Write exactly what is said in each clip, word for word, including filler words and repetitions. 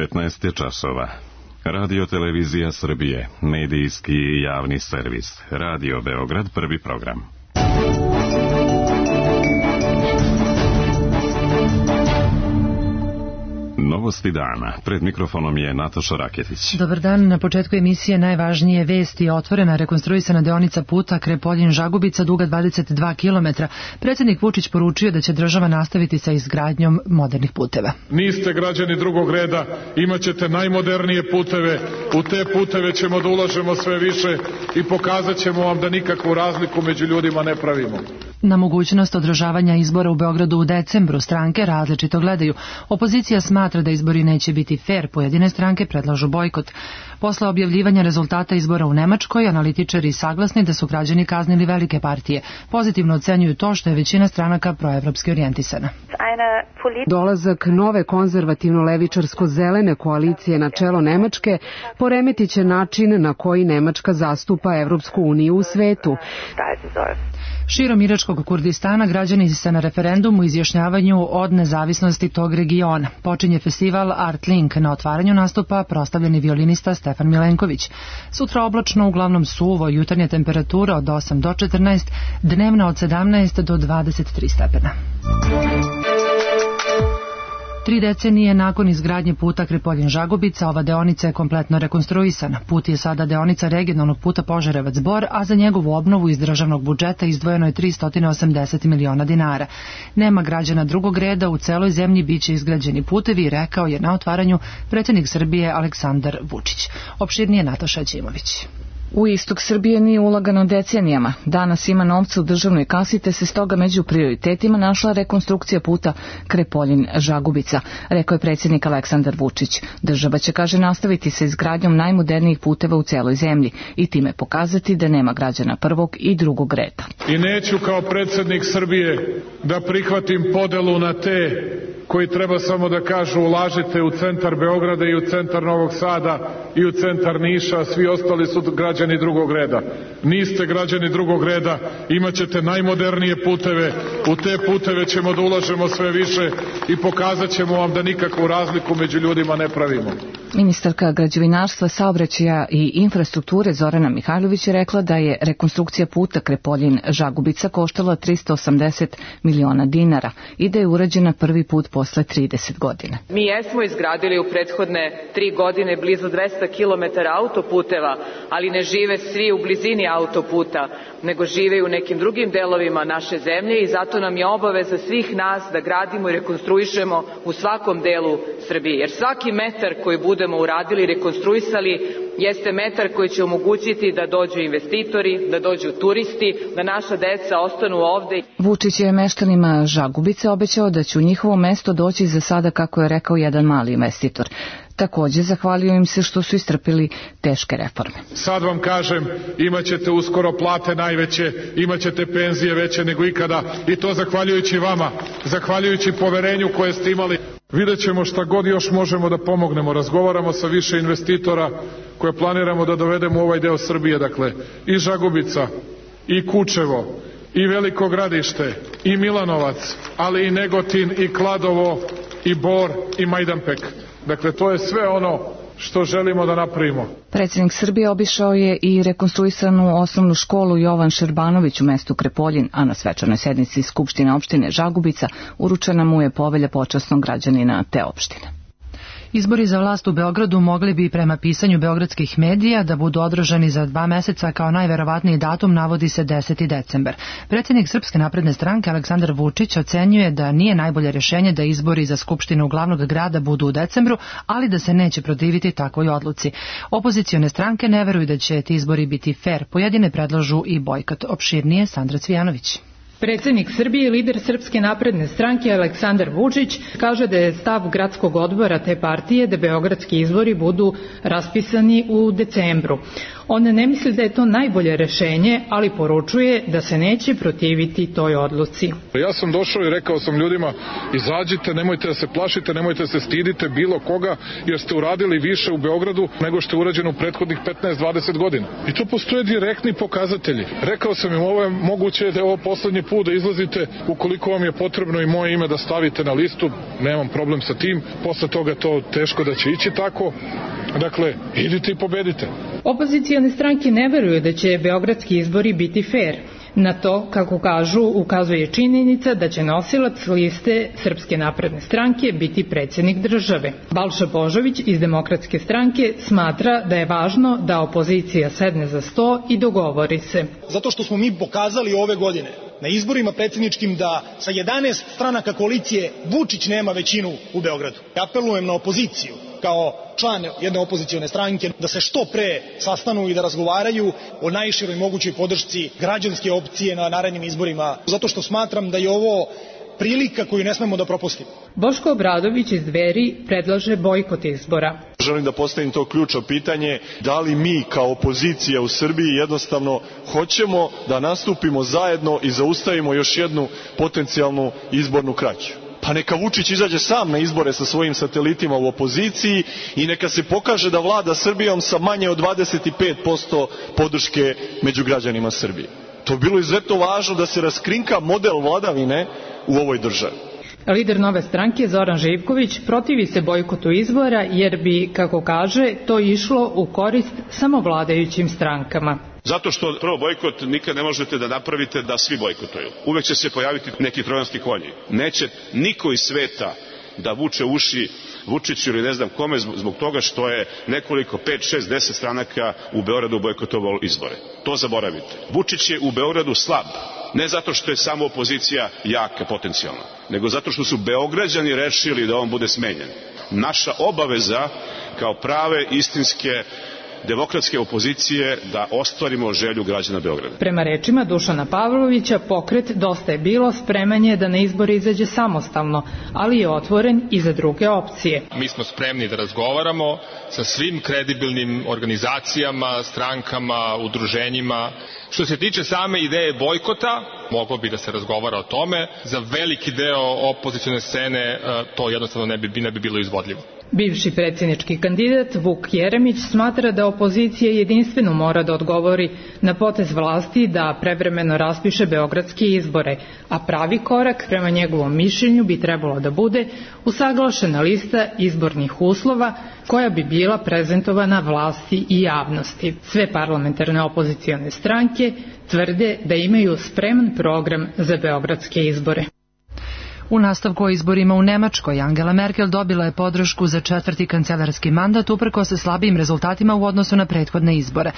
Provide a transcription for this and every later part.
petnaest je časova. Radio Televizija Srbije, medijski i javni servis. Radio Beograd, prvi program. Novosti dana. Pred mikrofonom je Nataša Raketić. Dobar dan. Na početku emisije najvažnije vesti. Otvorena rekonstruisana deonica puta Krepoljin-Žagubica duga dvadeset dva kilometra. Predsjednik Vučić poručio da će država nastaviti sa izgradnjom modernih puteva. Niste građani drugog reda, imat ćete najmodernije puteve. U te puteve ćemo da ulažemo sve više i pokazat ćemo vam da nikakvu razliku među ljudima ne pravimo. Na mogućnost održavanja izbora u Beogradu u decembru stranke različito gledaju. Opozicija smatra da izbori neće biti fer, pojedine stranke predlažu bojkot. Posle objavljivanja rezultata izbora u Nemačkoj, analitičari saglasni da su građani kaznili velike partije. Pozitivno ocenjuju to što je većina stranaka proevropski orijentisana. Dolazak nove konzervativno-levičarsko-zelene koalicije na čelo Nemačke poremetit će način na koji Nemačka zastupa Evropsku uniju u svetu. Širom Iračkog Kurdistana građani se na referendumu izjašnjavanju od nezavisnosti tog regiona. Počinje festival Art Link. Na otvaranju nastupa proslavljeni violinista Stefan Milenković. Sutra oblačno, uglavnom suvo, jutarnja temperatura od osam do četrnaest, dnevna od sedamnaest do dvadeset tri stepena. Tri decenije nakon izgradnje puta Krepoljin-Žagubica, ova deonica je kompletno rekonstruisana. Put je sada deonica regionalnog puta Požarevac-Bor, a za njegovu obnovu iz državnog budžeta izdvojeno je tristo osamdeset miliona dinara. Nema građana drugog reda, u celoj zemlji biće izgrađeni putevi, rekao je na otvaranju predsjednik Srbije Aleksandar Vučić. Opširnije Nataša Ćimović. U istok Srbije nije ulagano decenijama. Danas ima novca u državnoj kasi, te se stoga među prioritetima našla rekonstrukcija puta Krepoljin-Žagubica, rekao je predsjednik Aleksandar Vučić. Država će, kaže, nastaviti sa izgradnjom najmodernijih puteva u celoj zemlji i time pokazati da nema građana prvog i drugog reda. I neću kao predsjednik Srbije da prihvatim podelu na te koji treba samo da kažu ulažite u centar Beograda i u centar Novog Sada i u centar Niša, a svi ostali su građani drugog reda. Niste građani drugog reda, imat ćete najmodernije puteve, u te puteve ćemo da ulažemo sve više i pokazat ćemo vam da nikakvu razliku među ljudima ne pravimo. Ministarka građevinarstva, saobraćaja i infrastrukture Zorana Mihajlović je rekla da je rekonstrukcija puta Krepoljin-Žagubica koštala tristo osamdeset miliona dinara i da je urađena prvi put posle trideset godina. Mi jesmo izgradili u prethodne tri godine blizu dvesta kilometara autoputeva, ali ne žive svi u blizini autoputa, nego žive u nekim drugim delovima naše zemlje i zato nam je obaveza svih nas da gradimo i rekonstruišemo u svakom delu Srbije. Jer svaki metar koji budemo uradili, rekonstruisali, jeste metar koji će omogućiti da dođu investitori, da dođu turisti, da naša deca ostanu ovde. Vučić je meštanima Žagubice obećao da će u njihovo mesto doći za sada, kako je rekao, jedan mali investitor. Također zahvalio im se što su istrpili teške reforme. Sad vam kažem, imat ćete uskoro plate najveće, imat ćete penzije veće nego ikada i to zahvaljujući vama, zahvaljujući poverenju koje ste imali. Vidjet ćemo šta god još možemo da pomognemo. Razgovaramo sa više investitora koje planiramo da dovedemo u ovaj deo Srbije, dakle i Žagubica, i Kučevo, i Veliko Gradište, i Milanovac, ali i Negotin, i Kladovo, i Bor, i Majdanpek. Dakle, to je sve ono što želimo da napravimo. Predsjednik Srbije obišao je i rekonstruisanu osnovnu školu Jovan Šerbanović u mestu Krepoljin, a na svečanoj sednici Skupštine opštine Žagubica uručena mu je povelja počasnog građanina te opštine. Izbori za vlast u Beogradu mogli bi prema pisanju beogradskih medija da budu održani za dva meseca, kao najverovatniji datum navodi se deseti decembar. Predsjednik Srpske napredne stranke Aleksandar Vučić ocenjuje da nije najbolje rješenje da izbori za skupštinu glavnog grada budu u decembru, ali da se neće protiviti takvoj odluci. Opozicione stranke ne veruju da će ti izbori biti fer, pojedine predlažu i bojkot. Opširnije Sandra Cvijanović. Predsjednik Srbije i lider Srpske napredne stranke Aleksandar Vučić kaže da je stav gradskog odbora te partije da beogradski izbori budu raspisani u decembru. On ne misli da je to najbolje rešenje, ali poručuje da se neće protiviti toj odluci. Ja sam došao i rekao sam ljudima, izađite, nemojte da se plašite, nemojte da se stidite bilo koga, jer ste uradili više u Beogradu nego što je urađeno u prethodnih petnaest dvadeset godina. I to postoje direktni pokazatelji. Rekao sam im, ovo je moguće da je ovo poslednji put da izlazite, ukoliko vam je potrebno i moje ime da stavite na listu, nemam problem sa tim, posle toga to teško da će ići tako. Dakle, idite i pobedite. Opozicione stranke ne veruju da će beogradski izbori biti fair. Na to, kako kažu, ukazuje činjenica da će nosilac liste Srpske napredne stranke biti predsjednik države. Balša Božović iz Demokratske stranke smatra da je važno da opozicija sedne za sto i dogovori se. Zato što smo mi pokazali ove godine na izborima predsjedničkim da sa jedanaest stranaka koalicije Vučić nema većinu u Beogradu. Apelujem na opoziciju kao član jedne opozicione stranke da se što pre sastanu i da razgovaraju o najširoj mogućoj podršci građanske opcije na narednim izborima, zato što smatram da je ovo prilika koju ne smemo da propustimo. Boško Obradović iz Dveri predlaže bojkot izbora. Želim da postavim to ključno pitanje, da li mi kao opozicija u Srbiji jednostavno hoćemo da nastupimo zajedno i zaustavimo još jednu potencijalnu izbornu krađu. Pa neka Vučić izađe sam na izbore sa svojim satelitima u opoziciji i neka se pokaže da vlada Srbijom sa manje od dvadeset pet posto podrške među građanima Srbije. To bi bilo izuzetno važno da se raskrinka model vladavine u ovoj državi. Lider Nove stranke Zoran Živković protivi se bojkotu izbora jer bi, kako kaže, to išlo u korist samo vladajućim strankama. Zato što prvo bojkot nikad ne možete da napravite da svi bojkotuju. Uvek će se pojaviti neki trojanski konji. Neće niko iz sveta da vuče uši Vučiću ili ne znam kome zbog toga što je nekoliko, pet, šest, deset stranaka u Beogradu bojkotovalo izbore. To zaboravite. Vučić je u Beogradu slab. Ne zato što je samo opozicija jaka potencijalna, nego zato što su Beograđani rešili da on bude smenjen. Naša obaveza kao prave, istinske, demokratske opozicije da ostvarimo želju građana Beograda. Prema rečima Dušana Pavlovića, pokret Dosta je bilo spreman je da na izbore izađe samostalno, ali je otvoren i za druge opcije. Mi smo spremni da razgovaramo sa svim kredibilnim organizacijama, strankama, udruženjima. Što se tiče same ideje bojkota, moglo bi da se razgovara o tome. Za veliki deo opozicione scene to jednostavno ne bi, ne bi bilo izvodljivo. Bivši predsjednički kandidat Vuk Jeremić smatra da opozicija jedinstveno mora da odgovori na potez vlasti da prevremeno raspiše beogradske izbore, a pravi korak prema njegovom mišljenju bi trebalo da bude usaglašena lista izbornih uslova koja bi bila prezentovana vlasti i javnosti. Sve parlamentarne opozicione stranke tvrde da imaju spreman program za beogradske izbore. U nastavku o izborima u Nemačkoj, Angela Merkel dobila je podršku za četvrti kancelarski mandat uprkos se slabijim rezultatima u odnosu na prethodne izbore.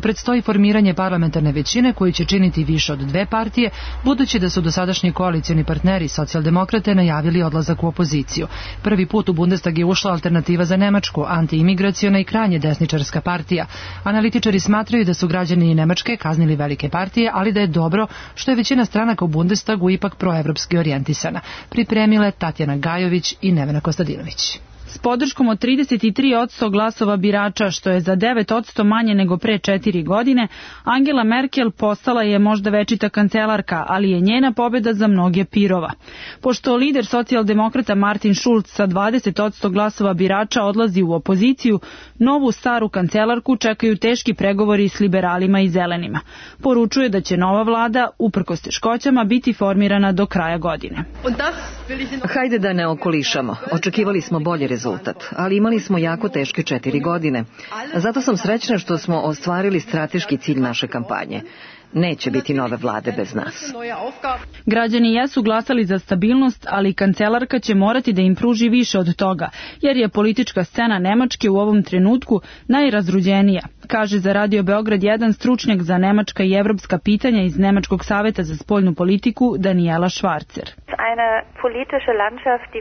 Predstoji formiranje parlamentarne većine koju će činiti više od dve partije, budući da su dosadašnji koalicioni partneri socijaldemokrate najavili odlazak u opoziciju. Prvi put u Bundestag je ušla Alternativa za Nemačku, antiimigraciona i krajnje desničarska partija. Analitičari smatraju da su građani Nemačke kaznili velike partije, ali da je dobro što je većina stranaka u Bundestagu ipak proevropski orijentisana. Pripremile Tatjana Gajović i Nevena Kostadinović. S podrškom od trideset tri posto glasova birača, što je za devet posto manje nego pre četiri godine, Angela Merkel postala je možda večita kancelarka, ali je njena pobjeda za mnoge pirova. Pošto lider socijaldemokrata Martin Schulz sa dvadeset posto glasova birača odlazi u opoziciju, novu staru kancelarku čekaju teški pregovori s liberalima i zelenima. Poručuje da će nova vlada, uprkos teškoćama, biti formirana do kraja godine. Hajde da ne okolišamo. Očekivali smo bolje rezultat, ali imali smo jako teške četiri godine. Zato sam srećna što smo ostvarili strateški cilj naše kampanje. Neće biti nove vlade bez nas. Građani jesu glasali za stabilnost, ali kancelarka će morati da im pruži više od toga, jer je politička scena Nemačke u ovom trenutku najrazruđenija, kaže za Radio Beograd jedan stručnjak za nemačka i evropska pitanja iz Nemačkog saveta za spoljnu politiku Daniela Švarcer.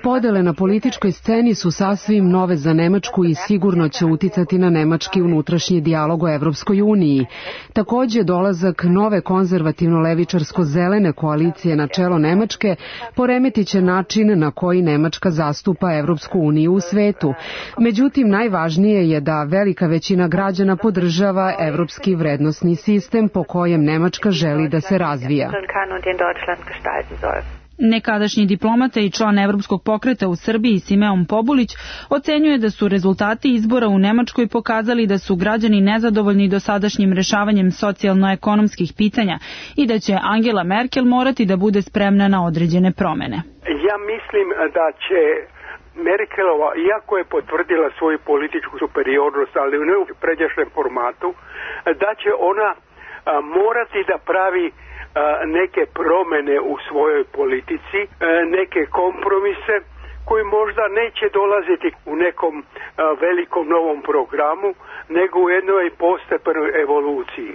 Podele na političkoj sceni su sasvim nove za Nemačku i sigurno će uticati na nemački unutrašnji dijalog o Evropskoj uniji. Takođe, dolazak nove konzervativno-levičarsko-zelene koalicije na čelo Nemačke poremetiće način na koji Nemačka zastupa Evropsku uniju u svetu. Međutim, najvažnije je da velika većina građana podržava evropski vrednosni sistem po kojem Nemačka želi da se razvija. Nekadašnji diplomata i član Evropskog pokreta u Srbiji Simeon Pobulić ocenjuje da su rezultati izbora u Nemačkoj pokazali da su građani nezadovoljni dosadašnjim rešavanjem socijalno-ekonomskih pitanja i da će Angela Merkel morati da bude spremna na određene promene. Ja mislim da će Merkelova, iako je potvrdila svoju političku superiornost, ali u nepređašnjem formatu, da će ona morati da pravi neke promene u svojoj politici, neke kompromise koji možda neće dolaziti u nekom velikom novom programu, nego u jednoj postepenoj evoluciji.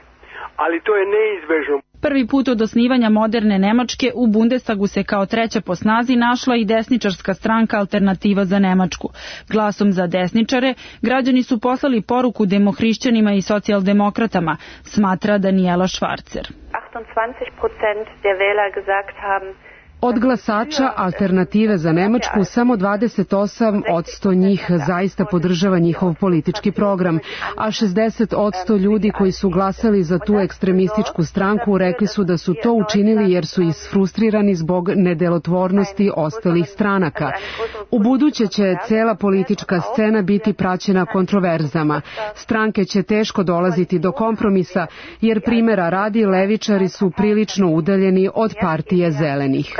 Ali to je neizbežno. Prvi put od osnivanja moderne Nemačke u Bundestagu se kao treća po snazi našla i desničarska stranka Alternativa za Nemačku. Glasom za desničare građani su poslali poruku demohrišćanima i socijaldemokratama, smatra Daniela Schwarzer. Od glasača Alternative za Nemačku samo dvadeset osam posto njih zaista podržava njihov politički program, a šezdeset posto ljudi koji su glasali za tu ekstremističku stranku rekli su da su to učinili jer su isfrustrirani zbog nedelotvornosti ostalih stranaka. U buduće će cela politička scena biti praćena kontroverzama. Stranke će teško dolaziti do kompromisa, jer primjera radi levičari su prilično udaljeni od partije zelenih.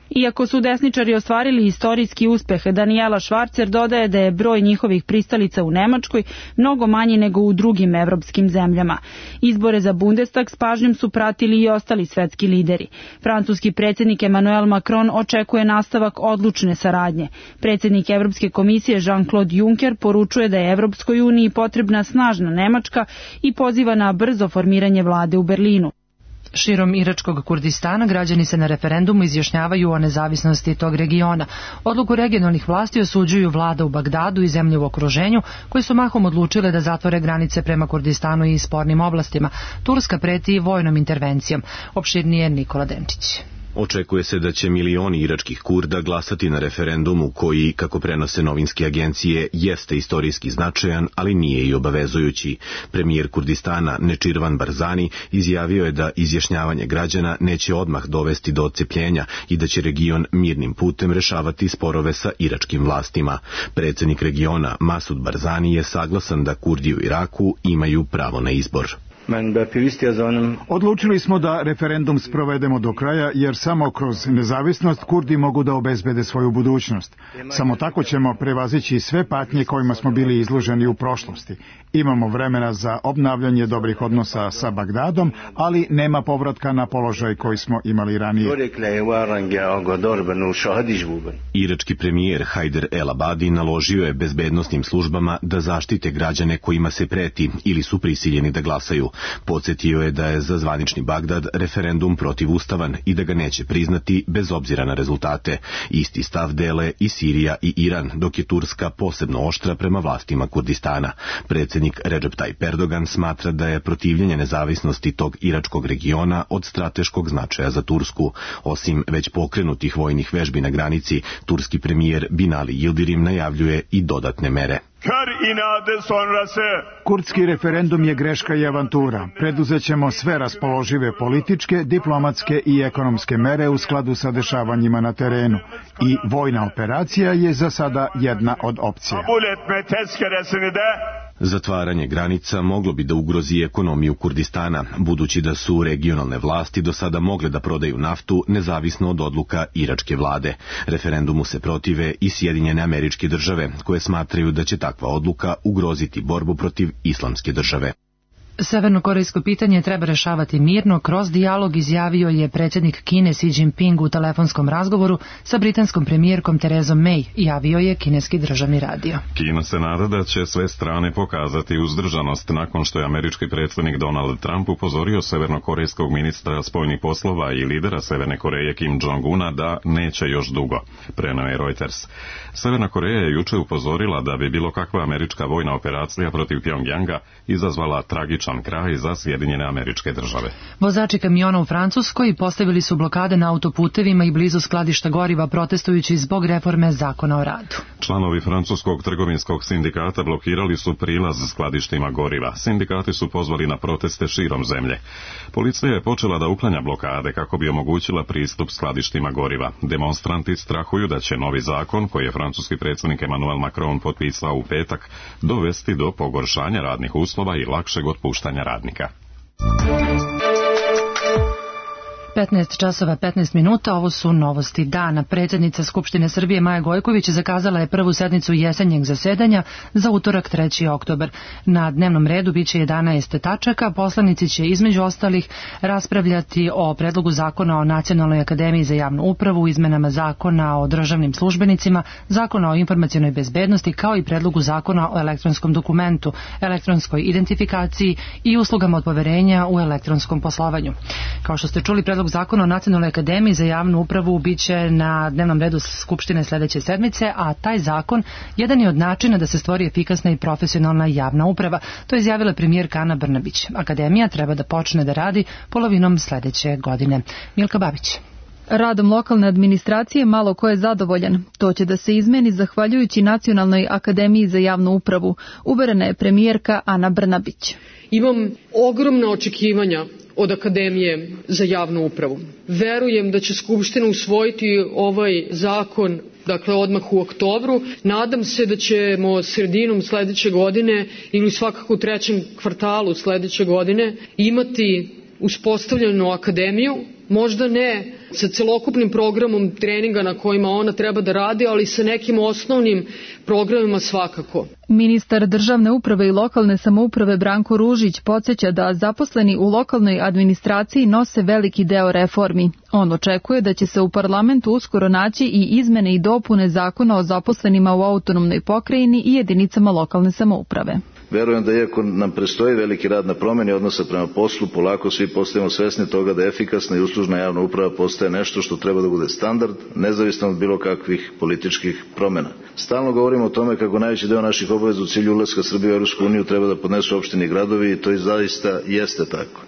Iako su desničari ostvarili istorijski uspeh, Daniela Schwarzer dodaje da je broj njihovih pristalica u Nemačkoj mnogo manji nego u drugim evropskim zemljama. Izbore za Bundestag s pažnjom su pratili i ostali svetski lideri. Francuski predsjednik Emmanuel Macron očekuje nastavak odlučne saradnje. Predsjednik Evropske komisije Jean-Claude Juncker poručuje da je Evropskoj uniji potrebna snažna Nemačka i poziva na brzo formiranje vlade u Berlinu. Širom Iračkog Kurdistana građani se na referendumu izjašnjavaju o nezavisnosti tog regiona. Odluku regionalnih vlasti osuđuju vlada u Bagdadu i zemlje u okruženju, koji su mahom odlučile da zatvore granice prema Kurdistanu i spornim oblastima. Turska preti vojnom intervencijom. Opširnije Nikola Denčić. Očekuje se da će milioni iračkih Kurda glasati na referendumu koji, kako prenose novinske agencije, jeste istorijski značajan, ali nije i obavezujući. Premijer Kurdistana Nečirvan Barzani izjavio je da izjašnjavanje građana neće odmah dovesti do odcepljenja i da će region mirnim putem rešavati sporove sa iračkim vlastima. Predsjednik regiona Masud Barzani je saglasan da Kurdi u Iraku imaju pravo na izbor. Odlučili smo da referendum sprovedemo do kraja, jer samo kroz nezavisnost Kurdi mogu da obezbede svoju budućnost. Samo tako ćemo prevazići sve patnje kojima smo bili izloženi u prošlosti. Imamo vremena za obnavljanje dobrih odnosa sa Bagdadom, ali nema povratka na položaj koji smo imali ranije. Irački premijer Hajder El Abadi naložio je bezbednosnim službama da zaštite građane kojima se preti ili su prisiljeni da glasaju. Podsjetio je da je za zvanični Bagdad referendum protivustavan i da ga neće priznati bez obzira na rezultate. Isti stav dele i Sirija i Iran, dok je Turska posebno oštra prema vlastima Kurdistana. Predsjednik Recep Tayyip Erdogan smatra da je protivljenje nezavisnosti tog iračkog regiona od strateškog značaja za Tursku. Osim već pokrenutih vojnih vežbi na granici, turski premijer Binali Yildirim najavljuje i dodatne mere. Kurdski referendum je greška i avantura. Preduzet ćemo sve raspoložive političke, diplomatske i ekonomske mere u skladu sa dešavanjima na terenu. I vojna operacija je za sada jedna od opcija. Zatvaranje granica moglo bi da ugrozi ekonomiju Kurdistana, budući da su regionalne vlasti do sada mogle da prodaju naftu nezavisno od odluka iračke vlade. Referendumu se protive i Sjedinjene Američke Države, koje smatraju da će takva odluka ugroziti borbu protiv islamske države. Severnokorejsko pitanje treba rešavati mirno, kroz dijalog, izjavio je predsjednik Kine Xi Jinping u telefonskom razgovoru sa britanskom premijerkom Terezom May, javio je kineski državni radio. Kina se nada da će sve strane pokazati uzdržanost nakon što je američki predsjednik Donald Trump upozorio severnokorejskog ministra spoljnih poslova i lidera Severne Koreje Kim Jong-una da neće još dugo, preneo je Reuters. Severna Koreja je juče upozorila da bi bilo kakva američka vojna operacija protiv Pyongyanga izazvala tragičan kraj za Sjedinjene Američke Države. Vozači kamiona u Francuskoj postavili su blokade na autoputevima i blizu skladišta goriva protestujući zbog reforme zakona o radu. Članovi francuskog trgovinskog sindikata blokirali su prilaz skladištima goriva. Sindikati su pozvali na proteste širom zemlje. Policija je počela da uklanja blokade kako bi omogućila pristup skladištima goriva. Demonstranti strahuju da će novi zakon, koji je francuski predsjednik Emmanuel Macron potpisao u petak, dovesti do pogoršanja radnih uslova i lakšeg otpuštanja radnika. petnaest časova petnaest minuta, ovo su novosti dana. Predsjednica Skupštine Srbije Maja Gojković zakazala je prvu sednicu jesenjeg zasedanja za utorak treći oktobar. Na dnevnom redu biće jedanaest tačaka. Poslanici će između ostalih raspravljati o predlogu zakona o Nacionalnoj akademiji za javnu upravu, izmenama zakona o državnim službenicima, zakona o informacionoj bezbednosti, kao i predlogu zakona o elektronskom dokumentu, elektronskoj identifikaciji i uslugama od poverenja u elektronskom poslovanju. Kao što ste čuli, predlog zakona o Nacionalnoj akademiji za javnu upravu biće na dnevnom redu Skupštine sledeće sedmice, a taj zakon jedan je od načina da se stvori efikasna i profesionalna javna uprava. To je izjavila premijerka Ana Brnabić. Akademija treba da počne da radi polovinom sledeće godine. Milka Babić. Radom lokalne administracije malo ko je zadovoljan. To će da se izmeni zahvaljujući Nacionalnoj akademiji za javnu upravu, uverena je premijerka Ana Brnabić. Imam ogromna očekivanja od Akademije za javnu upravu. Verujem da će Skupština usvojiti ovaj zakon, dakle odmah u oktobru. Nadam se da ćemo sredinom sledeće godine ili svakako u trećem kvartalu sledeće godine imati uspostavljenu akademiju, možda ne sa celokupnim programom treninga na kojima ona treba da radi, ali sa nekim osnovnim programima svakako. Ministar državne uprave i lokalne samouprave Branko Ružić podsjeća da zaposleni u lokalnoj administraciji nose veliki deo reformi. On očekuje da će se u parlamentu uskoro naći i izmene i dopune zakona o zaposlenima u autonomnoj pokrajini i jedinicama lokalne samouprave. Verujem da iako nam predstoji veliki rad na promjeni odnosa prema poslu, polako svi postajemo svesni toga da efikasna i uslužna javna uprava postaje nešto što treba da bude standard, nezavisno od bilo kakvih političkih promjena. Stalno govorimo o tome kako najveći deo naših obaveza u cilju ulaska Srbije u Europsku uniju treba da podnesu opštine i gradovi, i to i zaista jeste tako.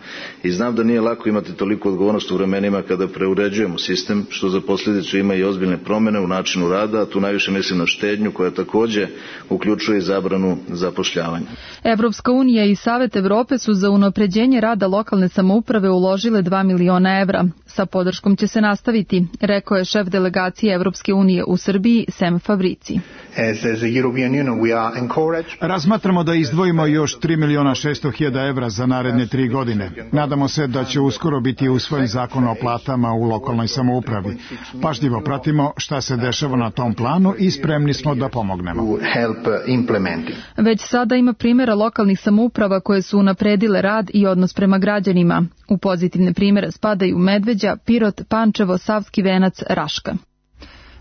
I znam da nije lako imati toliko odgovornost u vremenima kada preuređujemo sistem, što za posljedicu ima i ozbiljne promjene u načinu rada, a tu najviše mislim na štednju koja takođe uključuje i zabranu zapošljavanja. Evropska unija i Savet Evrope su za unapređenje rada lokalne samouprave uložile dva miliona evra. Sa podrškom će se nastaviti, rekao je šef delegacije Evropske unije u Srbiji Sem Fabrici. Razmatramo da izdvojimo još tri miliona šesto hiljada evra za naredne tri godine. Nadamo se da će uskoro biti usvojen zakon o platama u lokalnoj samoupravi. Pažljivo pratimo šta se dešava na tom planu i spremni smo da pomognemo. Već sada ima primjera lokalnih samouprava koje su unapredile rad i odnos prema građanima. U pozitivne primjere spadaju Medveđa, Pirot, Pančevo, Savski Venac, Raška.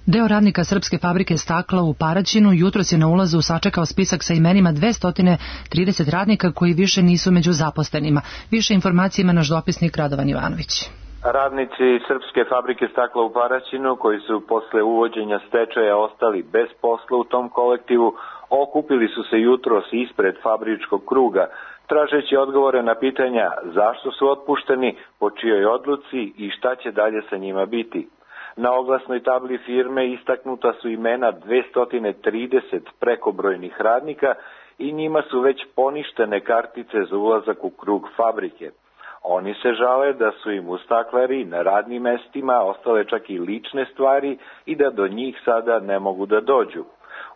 Deo radnika Srpske fabrike stakla u Paraćinu jutros je na ulazu sačekao spisak sa imenima dvesta trideset radnika koji više nisu među zaposlenima. Više informacija ima naš dopisnik Radovan Ivanović. Radnici Srpske fabrike stakla u Paraćinu, koji su posle uvođenja stečaja ostali bez posla u tom kolektivu, okupili su se jutros ispred fabričkog kruga, tražeći odgovore na pitanja zašto su otpušteni, po čijoj odluci i šta će dalje sa njima biti. Na oglasnoj tabli firme istaknuta su imena dvesta trideset prekobrojnih radnika i njima su već poništene kartice za ulazak u krug fabrike. Oni se žale da su im u staklari na radnim mestima ostale čak i lične stvari i da do njih sada ne mogu da dođu.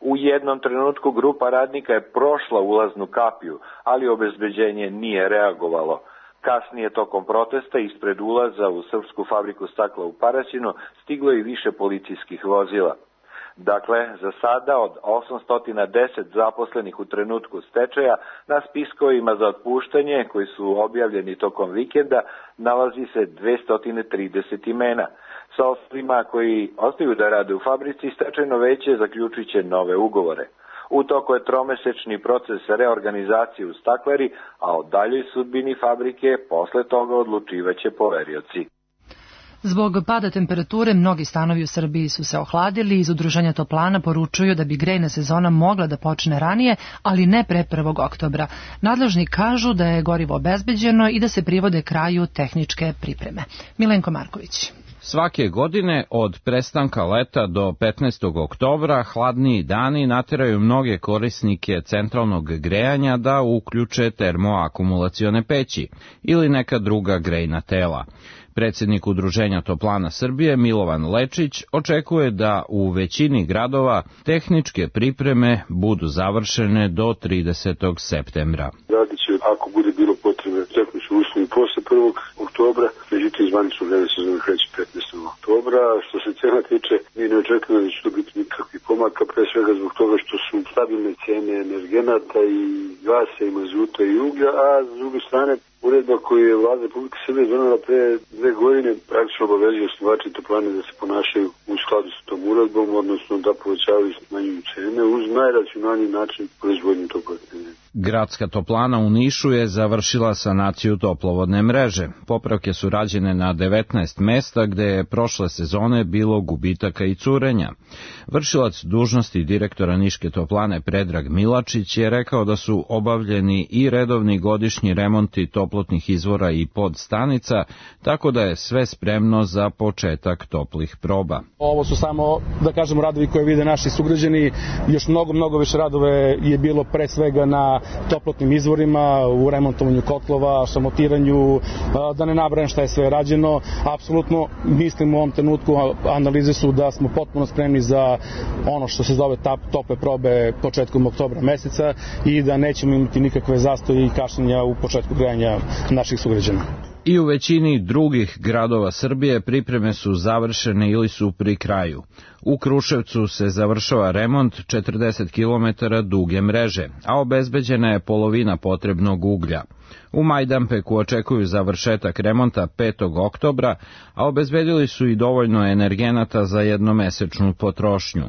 U jednom trenutku grupa radnika je prošla ulaznu kapiju, ali obezbeđenje nije reagovalo. Kasnije tokom protesta ispred ulaza u Srpsku fabriku stakla u Paraćinu stiglo i više policijskih vozila. Dakle, za sada od osamsto deset zaposlenih u trenutku stečaja na spiskovima za otpuštanje koji su objavljeni tokom vikenda nalazi se dvesta trideset imena. Sa ostalima koji ostaju da rade u fabrici, stečajno veće zaključit će nove ugovore. U toku je tromesečni proces reorganizacije u stakleri, a o daljoj sudbini fabrike posle toga odlučivaće poverioci. Zbog pada temperature mnogi stanovi u Srbiji su se ohladili i iz Udruženja toplana poručuju da bi grejna sezona mogla da počne ranije, ali ne pre prvog oktobra. Nadležni kažu da je gorivo obezbeđeno i da se privode kraju tehničke pripreme. Milenko Marković. Svake godine od prestanka leta do petnaestog oktobra hladniji dani nateraju mnoge korisnike centralnog grejanja da uključe termoakumulacione peći ili neka druga grejna tela. Predsjednik Udruženja toplana Srbije Milovan Lečić očekuje da u većini gradova tehničke pripreme budu završene do tridesetog septembra. Radit će, ako bude bilo potrebe, tehnički uslovi posle prvog oktobra, međutim zvanično vreme sezone kreće petnaestog oktobra. Što se cena tiče, mi ne očekujemo da će to biti nikakvih pomaka, pre svega zbog toga što su stabilne cene energenata i gasa i mazuta i uglja, a s druge strane uredba koju je vlada Republike Srbije donela pre dve godine praktično obavezuje osnivače toplane da se ponašaju u skladu sa tom uredbom, odnosno da povećavaju i smanjuju cene uz najracionalniji način proizvodnje toplotne energije. Gradska toplana u Nišu je završila sanaciju toplovodne mreže. Popravke su rađene na devetnaest mesta gde je prošle sezone bilo gubitaka i curenja. Vršilac dužnosti direktora Niške toplane Predrag Milačić je rekao da su obavljeni i redovni godišnji remonti toplotnih izvora i podstanica, tako da je sve spremno za početak toplih proba. Ovo su samo, da kažemo, radovi koje vide naši sugrađani. Još mnogo, mnogo više radove je bilo pre svega na toplotnim izvorima, u remontovanju kotlova, šamotiranju, da ne nabrajam šta je sve rađeno. Apsolutno mislim u ovom trenutku, analize su da smo potpuno spremni za ono što se zove tople probe početkom oktobra meseca i da nećemo imati nikakve zastoje i kašnjenja u početku grejanja naših sugrađana. I u većini drugih gradova Srbije pripreme su završene ili su pri kraju. U Kruševcu se završava remont četrdeset kilometara duge mreže, a obezbeđena je polovina potrebnog uglja. U Majdanpeku očekuju završetak remonta petog oktobra, a obezbedili su i dovoljno energenata za jednomesečnu potrošnju.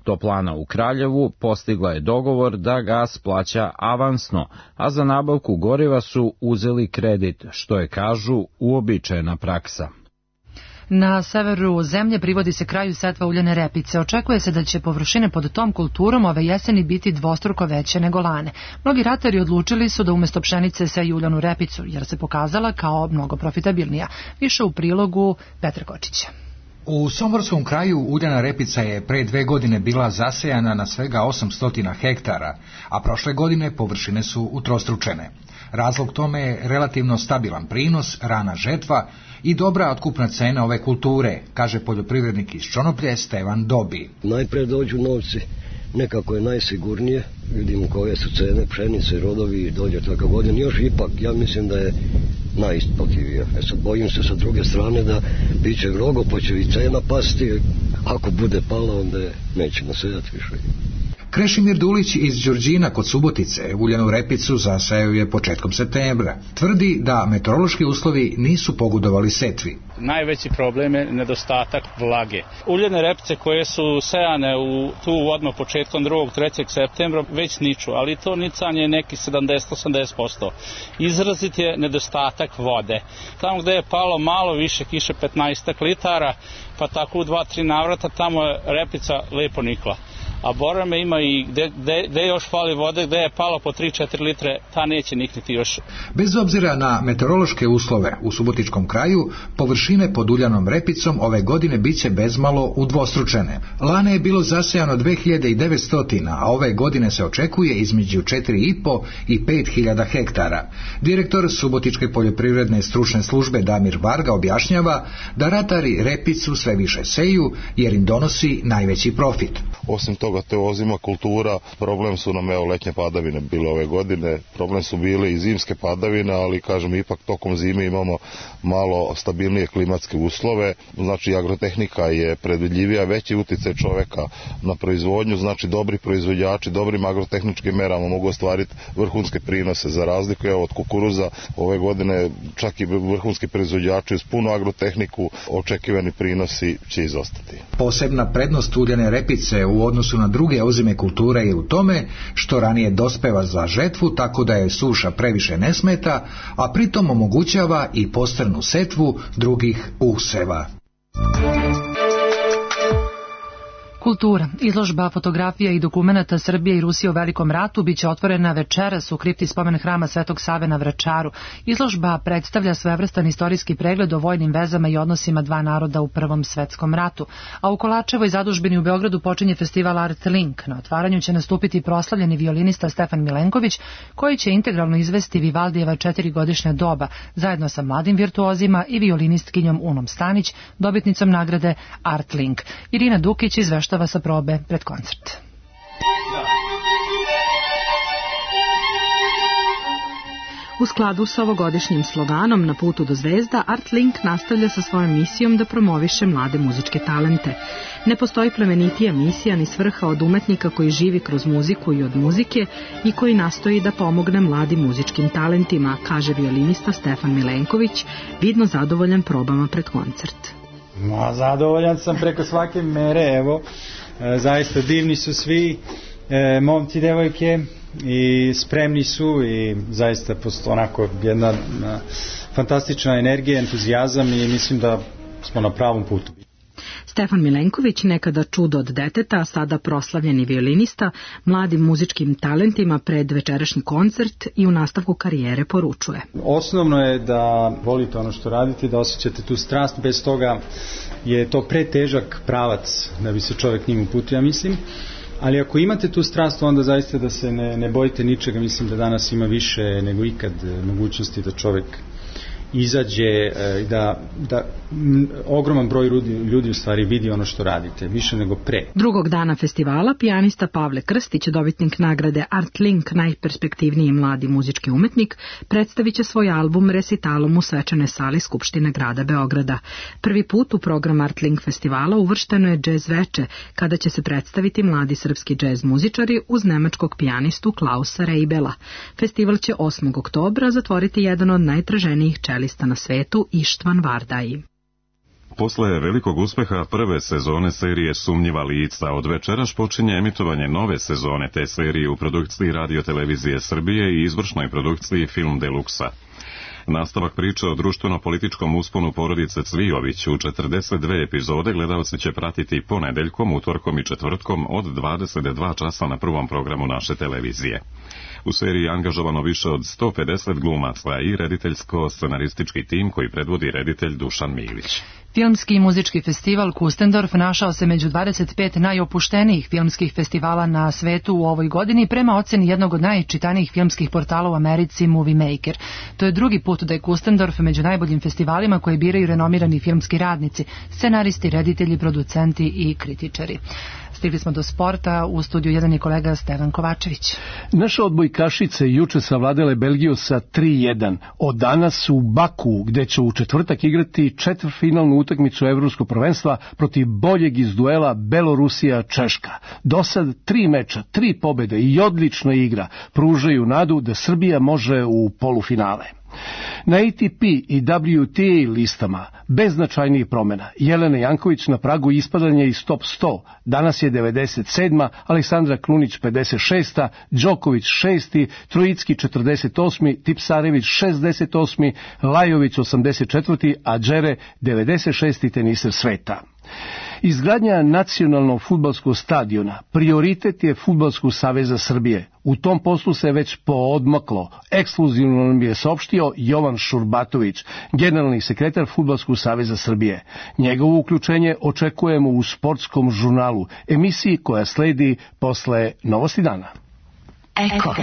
Toplana u Kraljevu postigla je dogovor da gas plaća avansno, a za nabavku goriva su uzeli kredit, što je, kažu, uobičajena praksa. Na severu zemlje privodi se kraju setva uljane repice. Očekuje se da će površine pod tom kulturom ove jeseni biti dvostruko veće nego lane. Mnogi ratari odlučili su da umjesto pšenice seju uljanu repicu, jer se pokazala kao mnogo profitabilnija. Više u prilogu Petra Kočića. U Somborskom kraju uljana repica je pre dve godine bila zasejana na svega osamsto hektara, a prošle godine površine su utrostručene. Razlog tome je relativno stabilan prinos, rana žetva i dobra otkupna cena ove kulture, kaže poljoprivrednik iz Čonoplje Stevan Dobi. Najpre dođu novci, nekako je najsigurnije, vidimo koje su cene pšenice, rodovi, dođe takav godin, još ipak ja mislim da je najisplativija. E sad bojim se sa druge strane da bit će mnogo, pa će i cena pasti, ako bude pala onda nećemo sejati više. Krešimir Dulić iz Đurđina kod Subotice uljanu repicu zasejao je početkom septembra. Tvrdi da meteorološki uslovi nisu pogodovali setvi. Najveći problem je nedostatak vlage. Uljane repice koje su sejane u tu odmah početkom drugog trećeg septembra već niču, ali to nicanje je neki sedamdeset do osamdeset posto. Izrazit je nedostatak vode. Tamo gde je palo malo više kiše, petnaest litara, pa tako u dva tri navrata tamo je repica lepo nikla. A Borame ima i gde, gde, gde još fali vode, gde je palo po tri četiri litre, ta neće nikniti još. Bez obzira na meteorološke uslove u Subotičkom kraju, površine pod uljanom repicom ove godine biće bezmalo udvostručene. Lane je bilo zasejano dve hiljade devetsto, a ove godine se očekuje između četiri i po i pet hiljada hektara. Direktor Subotičke poljoprivredne stručne službe Damir Varga objašnjava da ratari repicu sve više seju jer im donosi najveći profit. Osim toga, te ozima kultura, problem su nam evo letnje padavine bile ove godine, problem su bile i zimske padavine, ali kažem ipak tokom zime imamo malo stabilnije klimatske uslove, znači agrotehnika je predvidljivija, veći uticaj čoveka na proizvodnju, znači dobri proizvođači, dobrim agrotehničkim merama mogu ostvariti vrhunske prinose, za razliku evo, od kukuruza ove godine čak i vrhunski proizvođači uz punu agrotehniku očekivani prinosi će izostati. Posebna prednost uljane repice u odnosu na druge ozime kulture je u tome što ranije dospeva za žetvu tako da je suša previše ne smeta, a pritom omogućava i postrnu setvu drugih useva. Kultura. Izložba fotografija i dokumenata Srbije i Rusije u Velikom ratu biće otvorena večeras u kripti spomen hrama Svetog Save na Vračaru. Izložba predstavlja svevrstan istorijski pregled o vojnim vezama i odnosima dva naroda u Prvom svetskom ratu. A u Kolačevoj zadužbini u Beogradu počinje festival Art Link. Na otvaranju će nastupiti proslavljeni violinista Stefan Milenković, koji će integralno izvesti Vivaldijeva četirigodišnja doba, zajedno sa mladim virtuozima i violinistkinjom Unom Stanić, dobitnicom nagrade Art Link. Irina Dukić izveštava sa probe pred koncert. U skladu sa ovogodišnjim sloganom Na putu do zvezda, Art Link nastavlja sa svojom misijom da promoviše mlade muzičke talente. Ne postoji plemenitija misija ni svrha od umetnika koji živi kroz muziku i od muzike i koji nastoji da pomogne mladim muzičkim talentima, kaže violinista Stefan Milenković, vidno zadovoljan probama pred koncert. Ma, zadovoljan sam preko svake mere, evo, e, zaista divni su svi e, momci, devojke i spremni su i zaista postoji onako jedna a, fantastična energija, entuzijazam i mislim da smo na pravom putu. Stefan Milenković, nekada čudo od deteta, a sada proslavljeni violinista, mladim muzičkim talentima pred večerašnji koncert i u nastavku karijere poručuje. Osnovno je da volite ono što radite, da osjećate tu strast, bez toga je to pretežak pravac da bi se čovjek njim uputio, ja mislim. Ali ako imate tu strast, onda zaista da se ne, ne bojite ničega, mislim da danas ima više nego ikad mogućnosti da čovjek izađe, da, da m, ogroman broj ljudi, ljudi u stvari vidi ono što radite, više nego pre. Drugog dana festivala pijanista Pavle Krstić, dobitnik nagrade Art Link, najperspektivniji mladi muzički umetnik, predstavit će svoj album resitalom u svečanoj sali Skupštine grada Beograda. Prvi put u program Art Link festivala uvršteno je džez veče, kada će se predstaviti mladi srpski džez muzičari uz nemačkog pijanistu Klausa Reibela. Festival će osmog oktobra zatvoriti jedan od najtraženijih čelista na svetu, Ištvan Vardai. Posle velikog uspeha prve sezone serije Sumnjiva lica, od večeras počinje emitovanje nove sezone te serije u produkciji Radio Televizije Srbije i izvršnoj produkciji Film Deluxa. Nastavak priče o društveno-političkom usponu porodice Cvijović u četrdeset dve epizode gledalci će pratiti ponedeljkom, utorkom i četvrtkom od dvadeset dva časa na prvom programu naše televizije. U seriji je angažovano više od sto pedeset glumaca i rediteljsko-scenaristički tim koji predvodi reditelj Dušan Milić. Filmski i muzički festival Kustendorf našao se među dvadeset pet najopuštenijih filmskih festivala na svetu u ovoj godini prema oceni jednog od najčitanijih filmskih portala u Americi, Movie Maker. To je drugi put da je Kustendorf među najboljim festivalima koje biraju renomirani filmski radnici, scenaristi, reditelji, producenti i kritičari. Stigli smo do sporta, u studiju jedan je kolega Stevan Kovačević. Naše odbojkašice juče savladale Belgiju sa tri jedan. Od danas su u Baku, gde će u četvrtak igrati četvrtfinalnu utakmicu evropskog prvenstva protiv boljeg iz duela Belorusija-Češka. Do sad tri meča, tri pobede i odlična igra pružaju nadu da Srbija može u polufinale. Na A T P i W T A listama bez značajnijih promjena. Jelena Janković na pragu ispadanja iz top sto. Danas je devedeset sedma, Aleksandra Klunić pedeset šesta, Đoković šesti, Trojicki četrdeset osmi, Tipsarević šezdeset osmi, Lajović osamdeset četvrti, a Đere devedeset šesti teniser sveta. Izgradnja nacionalnog fudbalskog stadiona prioritet je Fudbalskog saveza Srbije. U tom poslu se već poodmaklo. Ekskluzivno nam je saopštio Jovan Šurbatović, generalni sekretar Fudbalskog saveza Srbije. Njegovo uključenje očekujemo u Sportskom žurnalu, emisiji koja sledi posle Novosti dana. Eko.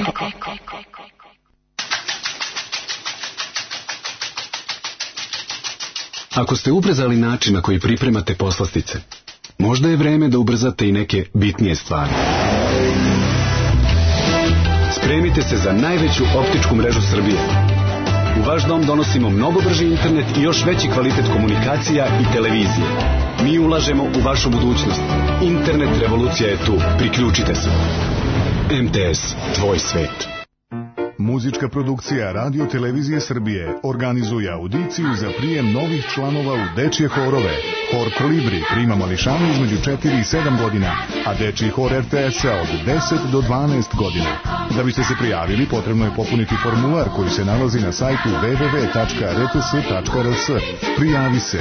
Ako ste ubrezali način na koji pripremate poslastice, Možda je vreme da ubrzate i neke bitnije stvari. Spremite se za najveću optičku mrežu Srbije. U vaš dom donosimo mnogo brži internet i još veći kvalitet komunikacija i televizije. Mi ulažemo u vašu budućnost. Internet revolucija je tu. Priključite se. M T S, tvoj svet. Muzička produkcija Radio Televizije Srbije organizuje audiciju za prijem novih članova u dečje horove. Hor Kolibri prima mališane između četiri i sedam godina, a dečji hor R T S-a od deset do dvanaest godina. Da biste se prijavili, potrebno je popuniti formular koji se nalazi na sajtu w w w tačka r t s tačka r s. Prijavi se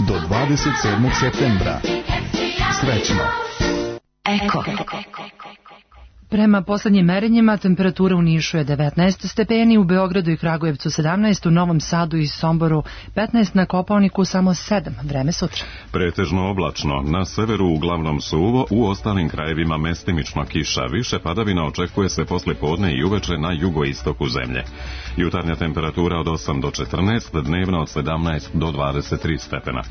do dvadeset sedmog septembra. Srećno! Eko. Prema poslednjim merenjima temperatura u Nišu je devetnaest stepeni, u Beogradu i Kragujevcu sedamnaest, u Novom Sadu i Somboru petnaest, na Kopaoniku samo sedam. Vreme sutra. Pretežno oblačno, na severu uglavnom suvo, u ostalim krajevima mestimično kiša. Više padavina očekuje se posle podne i uveče na jugoistoku zemlje. Jutarnja temperatura od osam do četrnaest, dnevna od sedamnaest do dvadeset tri stepena.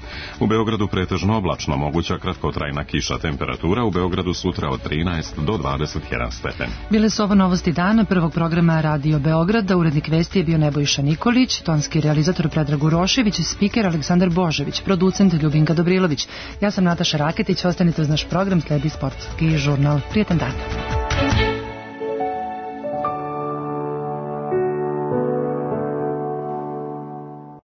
U Beogradu pretežno oblačno, moguća kratkotrajna kiša. Temperatura u Beogradu sutra od trinaest do dvadeset jedan stepen. Bile su ovo novosti dana prvog programa Radio Beograda. Urednik vesti je bio Nebojša Nikolić, tonski realizator Predrag Urošević, spiker Aleksandar Božević, producent Ljubinka Dobrilović. Ja sam Nataša Raketić, ostanite uz naš program, sledi sportski žurnal. Prijetan dan.